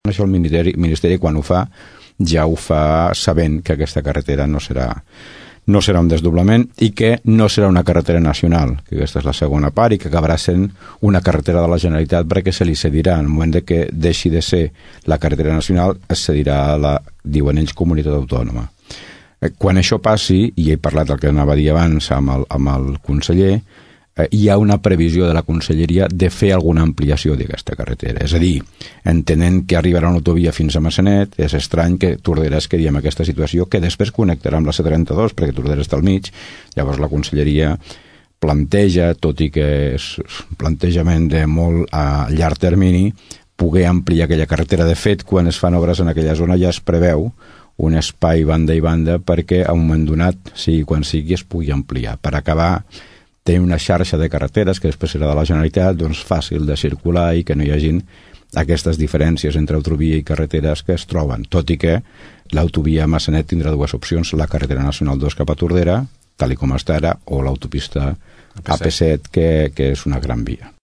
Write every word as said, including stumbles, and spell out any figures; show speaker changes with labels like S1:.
S1: Això el Ministeri, Ministeri quan ho fa ja ho fa sabent que aquesta carretera no serà no serà un desdoblament i que no serà una carretera nacional, que aquesta és la segona part, i que acabarà sent una carretera de la Generalitat perquè se li cedirà. En el moment de que deixi de ser la carretera nacional, es cedirà a la, diuen ells, comunitat autònoma. Quan això passi, i he parlat del que anava a dir abans amb el, amb el conseller, hi ha una previsió de la Conselleria de fer alguna ampliació d'aquesta carretera. És a dir, entenent que arribarà una autovia fins a Massanet, és estrany que Tordera es quedi en aquesta situació, que després connectarà amb la C trenta-dos, perquè Tordera està al mig. Llavors la Conselleria planteja, tot i que és un plantejament de molt a llarg termini, poder ampliar aquella carretera. De fet, quan es fan obres en aquella zona ja es preveu un espai banda i banda perquè a un moment donat, sigui quan sigui, es pugui ampliar. Per acabar tenir una xarxa de carreteres que després serà de la Generalitat, doncs fàcil de circular i que no hi hagin aquestes diferències entre autovia i carreteres que es troben, tot i que l'autovia Massanet tindrà dues opcions, la carretera nacional dos cap a Tordera, tal i com està ara, o l'autopista A P set, que, que és una gran via.